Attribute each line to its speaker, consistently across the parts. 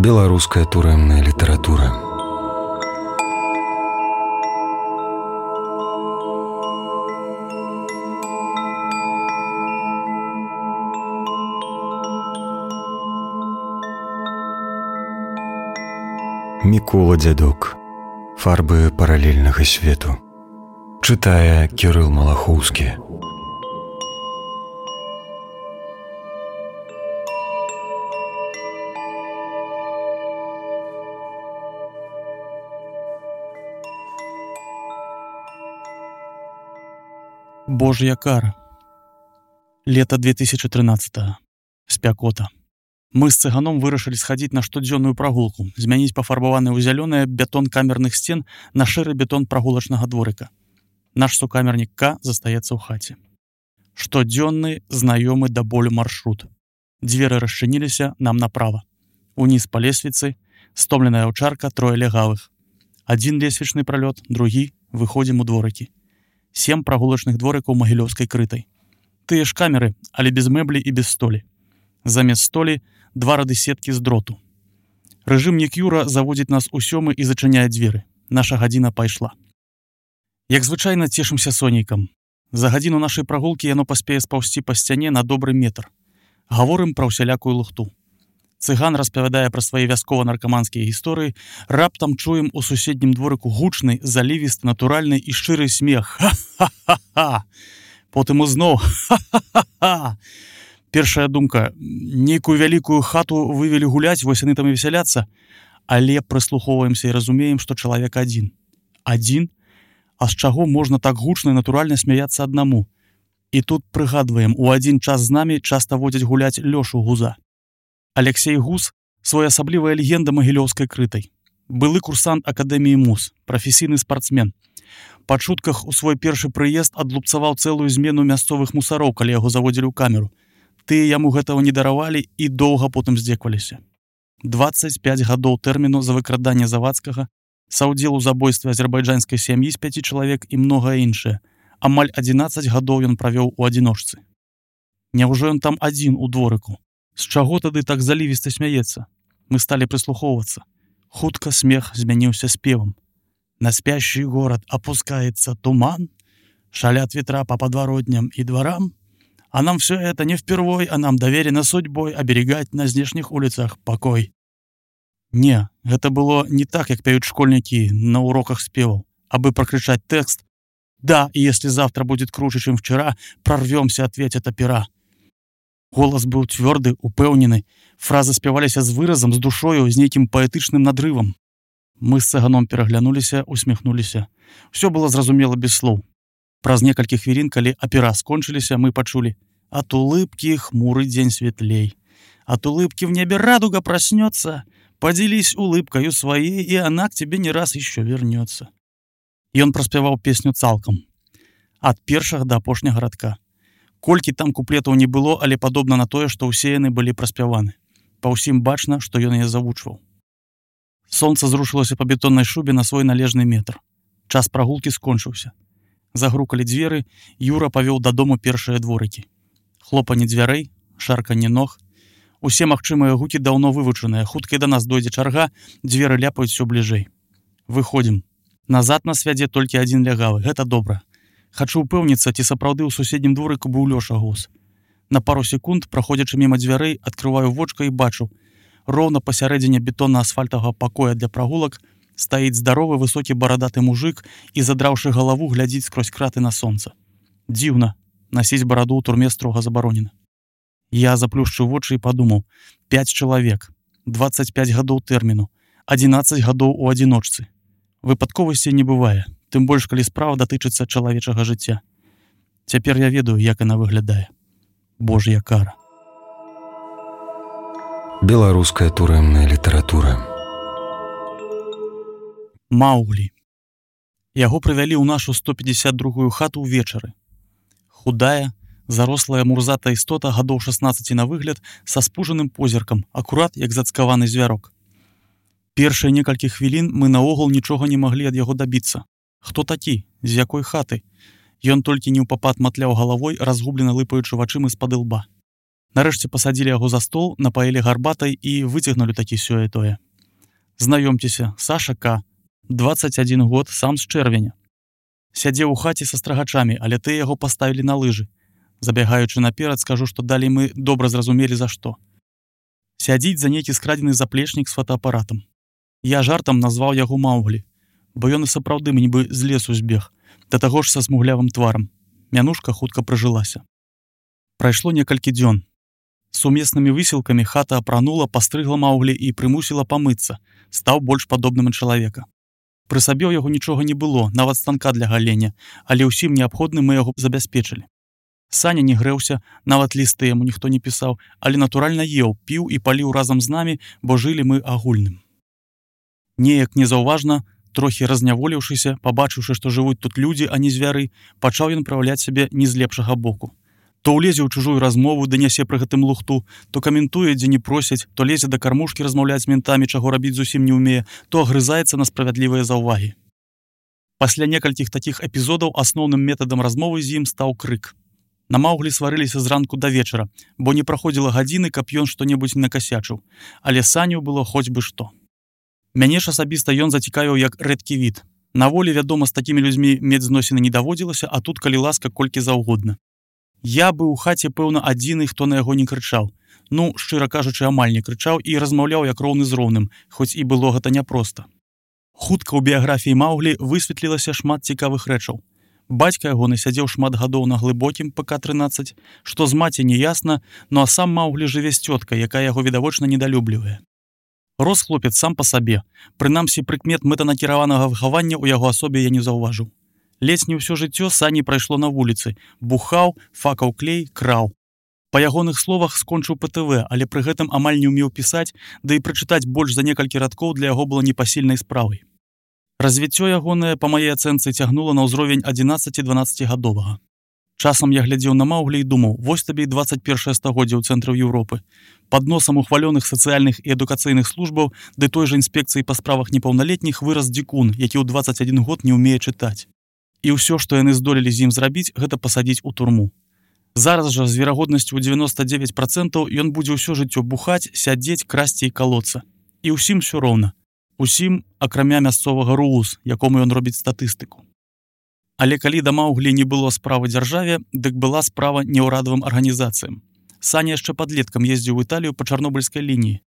Speaker 1: Беларуская турэмная літаратура. Мікола Дзядок. Фарбы паралельнага свету. Чытае Кірыл Малахоўскі.
Speaker 2: Божья кара. Лето 2013-го. Спякота. Мы з цыганом вырашылі схадзіць на штодзённую прагулку, змяніць пафарбаваны ў зялёнае бетон камерных сцен на шэры бетон прагулачнага дворыка. Наш сукамернік К застаецца ў хаце. Штодзённы, знаёмы да болю маршрут. Дзверы расчыніліся нам направа. Уніз па лесвіцы, стомленая аўчарка, трое легавых. Адзін лесвічны пралёт, другі, выходзім у дворыкі. 7 прагулачных дворыкаў магілёўскай крытай. Тыя ж камеры, але без мэблі і без столі. Замест столі 2 рады сеткі з дроту. Рэжымнік Юра заводзіць нас у 7 і зачыняе дзверы. Наша гадзіна пайшла. Як звычайна цешымся сонейкам. За гадзіну нашай прагулкі яно паспее спаўсці па сцяне на добры метр. Гаворым пра ўсялякую лухту. Цыган распавядае пра свае вяскова-наркаманскія гісторыі, раптам чуем у суседнім дворыку гучны, залівісты, натуральны і шчыры смех. Ха-ха-ха! Потым узноў ха-ха-ха! Першая думка, нейкую вялікую хату вывелі гуляць, вось яны там і весяляцца, але прыслухоўваемся і разумеем, што чалавек адзін. Адзін? А з чаго можна так гучна і натуральна смяяцца аднаму? І тут прыгадваем, у адзін час з намі часта водзяць гуляць Лёшу Гуза. Алексей Гуз – своеасаблівая легенда магілёўскай крытай. Былы курсант Акадэміі МУЗ, прафесійны спартсмен. Па чутках у свой першы прыезд адлупцаваў цэлую змену мясцовых мусароў, калі яго заводзілі ў камеру. Тыя яму гэтага не даравалі і доўга потым здзекваліся. 25 гадоў тэрміну за выкраданне Завадскага, саўдзел у забойстве азербайджанскай сям'і з 5 чалавек і многае іншае. Амаль 11 гадоў ён правёў у адзіночцы. Няўжо ён там адзін у дворыку? З чаго тады так залівіста смяецца? Мы сталі прыслухоўвацца. Хутка смех змяніўся спевам. На спящий город опускается туман, шалят ветра по подворотням и дворам, а нам все это не впервой, а нам доверено судьбой оберегать на здешних улицах покой. Не, гэта было не так, як пяюць школьнікі на уроках спеваў, абы прокричать текст «Да, и если завтра будет круче, чем вчера, прорвемся, ответят опера». Голас быў цвёрды, упэўнены, фразы спяваліся з выразам, з душою, з нейкім паэтычным надрывам. Мы з цыганом пераглянуліся, усміхнуліся. Усё было зразумела без слоў. Праз некалькі хвілін, калі апера скончыліся, мы пачулі: «От улыбки хмурый день светлей. От улыбки в небе радуга проснется. Поделись улыбкою своей, и она к тебе не раз еще вернется». Ён праспяваў песню цалкам. Ад першага да апошняга радка. Колькі там куплетаў не было, але падобна на тое, што ўсе яны былі праспяваны. Па ўсім бачна, што ён яе завучваў. Сонца зрушылася па бетоннай шубе на свой належны метр. Час прагулкі скончыўся. Загрукалі дзверы, Юра павёў дадому першыя дворыкі. Хлопанне дзвярэй, шарканне ног. Усе магчымыя гукі даўно вывучаныя. Хутка і да нас дойдзе чарга, дзверы ляпаюць усё бліжэй. Выходзім. Назад нас вядзе толькі адзін лягавы. Гэта добра. Хачу ўпэўніцца, ці сапраўды ў суседнім дворыку быў Лёша Гуз. На пару секунд, праходзячы міма дзвярэй, адкрываю вочка і бачу. Роўна пасярэдзіне бетонна-асфальтавага пакоя для прагулак стаіць здаровы высокі барадаты мужык і, задраўшы галаву, глядзіць скрозь краты на сонца. Дзіўна, насіць бараду ў турме строга забаронена. Я заплюшчыў вочы і падумаў: 5 чалавек, 25 гадоў тэрміну, 11 гадоў у адзіночцы. Выпадковасці не бывае. Тым больш, калі справа датычыцца чалавечага жыцця. Цяпер я ведаю, як яна выглядае. Божья кара.
Speaker 1: Беларуская турэмная літаратура.
Speaker 2: Маўглі. Яго прывялі ў нашу 152-ю хату ўвечары. Худая, зарослая мурзатая істота гадоў 16 на выгляд, са спужаным позіркам, акурат як зацкаваны звярок. Першыя некалькі хвілін мы наогул нічога не маглі ад яго дабіцца. Хто такі? З якой хаты? Ён толькі неўпапад матляў галавой, разгублена лыпаючы вачыма з-пад ілба. Нарэшце пасадзілі яго за стол, напаілі гарбатай і выцягнулі такі сёе-тое. Знаёмцеся, Саша К. 21 год, сам з чэрвеня. Сядзеў у хаце са страгачамі, але тыя яго паставілі на лыжы. Забягаючы наперад, скажу, што далей мы добра зразумелі за што. Сядзіць за нейкі скрадзены заплечнік з фотоапаратам. Я жартам назваў яго Мауглі, бо ён і сапраўды нібы з лесу збег, да таго ж са смуглявым тварам. Мянушка хутка прыжылася. Прайшло некалькі дзён. Сумеснымі высілкамі хата апранула, пастрыгла Мауглі і прымусіла памыцца, стаў больш падобным на чалавека. Пры сабе ў яго нічога не было, нават станка для галення, але ўсім неабходным мы яго забяспечылі. Саня не грэўся, нават лісты яму ніхто не пісаў, але натуральна еў, піў і паліў разам з намі, бо жылі мы агульным. Неяк незаўважна, трохі разняволіўшыся, пабачыўшы, што жывуць тут людзі, а не звяры, пачаў ён праяўляць сябе не з лепшага боку. То ўлезе ў чужую размову, ды нясе пры гэтым лухту, то каментуе, дзе не просяць, то лезе да кармушкі размаўляць з ментамі, чаго рабіць зусім не ўмее, то агрызаецца на справядлівыя заўвагі. Пасля некалькіх такіх эпізодаў асноўным метадам размовы з ім стаў крык. На Мауглі сварыліся зранку да вечара, бо не праходзіла гадзіны, каб ён што-небудзь не накасячыў, але Саню было хоць бы што. Мяне ж асабіста ён зацікавіў як рэдкі від. На волі, вядома, з такімі людзьмі мець зносіны не даводзілася, а тут, калі ласка, колькі заўгодна. Я быў у хаце, пэўна, адзіны, хто на яго не крычаў. Ну, шчыра кажучы, амаль не крычаў і размаўляў як роўны з роўным, хоць і было гэта няпроста. Хутка ў біяграфіі Мауглі высветлілася шмат цікавых рэчаў. Бацька яго насядзеў шмат гадоў на глыбокім ПК-13, што з маці не ясна, ну а сам Мауглі жыве з цёткай, якая яго відавочна недалюблівае. Рос хлопец сам па сабе, прынамсі прыкмет мэтанакіраванага выхавання ў яго асобе я не заўважыў. Ледзь не ўсё жыццё Сані прайшло на вуліцы, бухаў, факаў клей, краў. Па ягоных словах скончыў ПТВ, але пры гэтым амаль не ўмеў пісаць, да і прачытаць больш за некалькі радкоў для яго было непасільнай справай. Развіццё ягонае, па маей ацэнцы, цягнула на ўзровень 11-12гадовага. Часам я глядзеў на Мауглі і думаў, вось табе і 21 стагоддзе ў цэнтры Еўропы. Пад носам ухвалёных сацыяльных і адукацыйных службаў ды той жа інспекцыі па справах непаўналетніх вырас дзікун, які ў 21 год не ўмее чытаць. І ўсё, што яны здолелі з ім зрабіць, гэта пасадзіць у турму. Зараз жа з верагоднасцю ў 99% ён будзе ўсё жыццё бухаць, сядзець, красці і калоцца. І ўсім усё роўна. Усім, акрамя мясцовага РУУС, якому ён робіць статыстыку. Але калі да Мауглі не было справы дзяржаве, дык была справа неўрадавым арганізацыям. Саня яшчэ падлеткам ездзіў у Італію па чарнобыльскай лініі.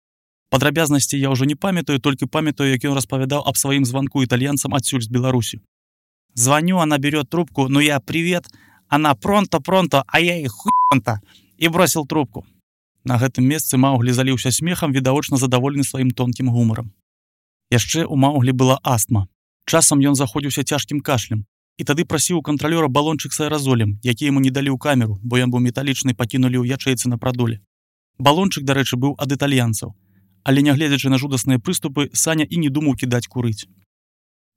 Speaker 2: Падрабязнасці я ўжо не памятаю, толькі памятаю, як ён распавядаў аб сваім званку італьянцам адсюль з Беларусі. Звоню, она берет трубку, ну я привет, она пронто, а я и хуй-пронто, и бросил трубку. На гэтым месцы Мауглі заліўся смехам, відавочна задаволены сваім тонкім гумарам. Яшчэ ў Мауглі была астма. Часам ён заходзіўся цяжкім кашлем, і тады прасіў у кантралёра балончык з аэразолем, які яму не далі ў камеру, бо ён быў металічны, пакінулі ў ячэйцы на прадоле. Балончык, дарэчы, быў ад італьянцаў, але нягледзячы на жудасныя прыступы, Саня і не думаў кідаць курыць.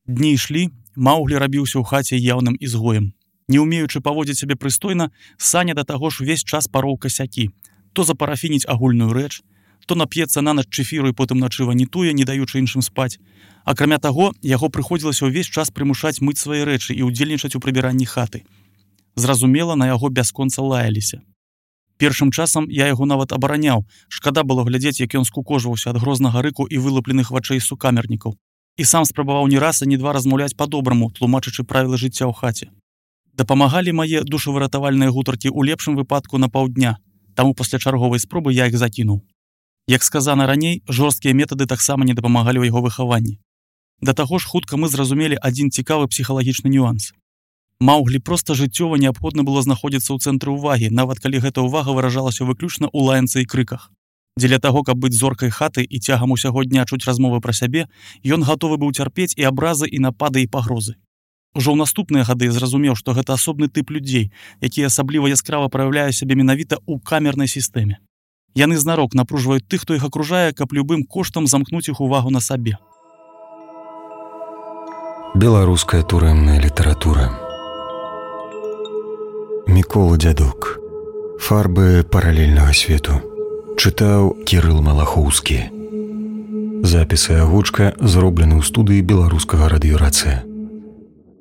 Speaker 2: Дні ішлі, Мауглі рабіўся ў хаце яўным ізгоем. Не ўмеючы паводзіць сябе прыстойна, Саня да таго ж увесь час пароў касякі. То запарафініць агульную рэч, то нап'ецца на ноч чэфіру і потым начы ванітуе, не даючы іншым спаць. Акрамя таго, яго прыходзілася ўвесь час прымушаць мыць свае рэчы і ўдзельнічаць у прыбіранні хаты. Зразумела, на яго бясконца лаяліся. Першым часам я яго нават абараняў, шкада было глядзець, як ён скукожваўся ад грознага рыку і вылупленых вачэй сукамернікаў. І сам спрабаваў ні раз, а ні два размаўляць па-добраму, тлумачачы правілы жыцця ў хаце. Дапамагалі мае душавыратавальныя гутаркі ў лепшым выпадку на паўдня, таму пасля чарговай спробы я іх закінуў. Як сказана раней, жорсткія метады таксама не дапамагалі ў яго выхаванні. Да таго ж хутка мы зразумелі адзін цікавы псіхалагічны нюанс. Мауглі проста жыццёва неабходна было знаходзіцца ў цэнтры ўвагі, нават калі гэта ўвага выражалася выключна ў лаянцы і крыках. Дзеля таго, каб быць зоркай хаты і цягам усяго дня чуць размовы пра сябе, ён гатовы быў цярпець і абразы, і напады, і пагрозы. Ужо ў наступныя гады я зразумеў, што гэта асобны тып людзей, які асабліва яскрава праяўляе сябе менавіта ў камернай сістэме. Яны знарок напружваюць тых, хто іх акружае, каб любым коштам замкнуць іх увагу на сабе.
Speaker 1: Беларуская турэмная літаратура. Мікола Дзядок. Фарбы паралельнага свету. Чытаў Кірыл Малахоўскі. Запіс і агучка зроблены ў студыі беларускага радыёрацыя.